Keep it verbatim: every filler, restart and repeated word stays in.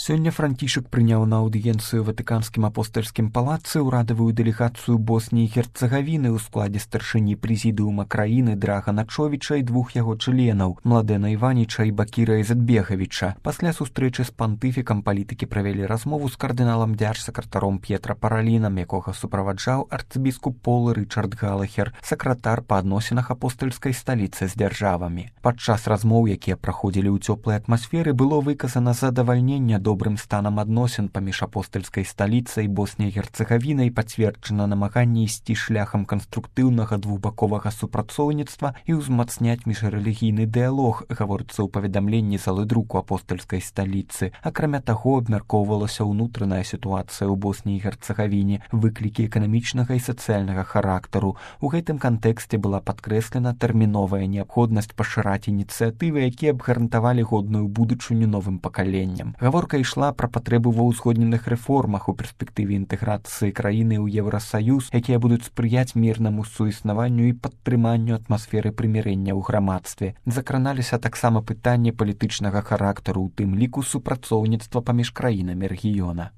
Сёння Францішак прыняў на аўдыенцыю ватыканскім апостальскім палацы ўрадавую дэлегацыю Босніі і Герцагавіны ў складзе старшыні прэзідыума краіны Драгана Човіча і двух яго членаў Младэна Іваніча і Бакіра Ізетбегавіча. Пасля сустрэчы з пантыфікам палітыкі правялі размову з кардыналам дзяржсакратаром П'етра Паралінам, якога суправаджаў арцыбіскуп Пол Рычард Галахер, сакратар па адносінах апостальскай сталіцы з дзяржавамі. Падчас размоў, якія праходзілі ў цёплай атмасферы, было выказана задавальненне добрым станам адносін паміж апостальскай сталіцай Босніяй і Герцагавінай, пацверджана намаганне ісці шляхам канструктыўнага двухбаковага супрацоўніцтва і ўзмацняць міжрэлігійны дыялог, гаворыцца ў паведамленні залы друку апостальскай сталіцы. Акрамя таго, абмяркоўвалася ўнутраная сітуацыя ў Босніі і Герцагавіне, выклікі эканамічнага і сацыяльнага характару. У гэтым кантэксце была падкрэслена тэрміновая неабходнасць пашыраць ініцыятывы, якія б гарантавалі годную будучыню новым пакаленням. Гаворка ішла пра патрэбу ва ўзгодненых рэформах у перспектыве інтэграцыі краіны ў Еўрасаюз, якія будуць спрыяць мірнаму суіснаванню і падтрыманню атмасферы прымірэння ў грамадстве. Закраналіся таксама пытанні палітычнага характару, у тым ліку супрацоўніцтва паміж краінамі рэгіёна.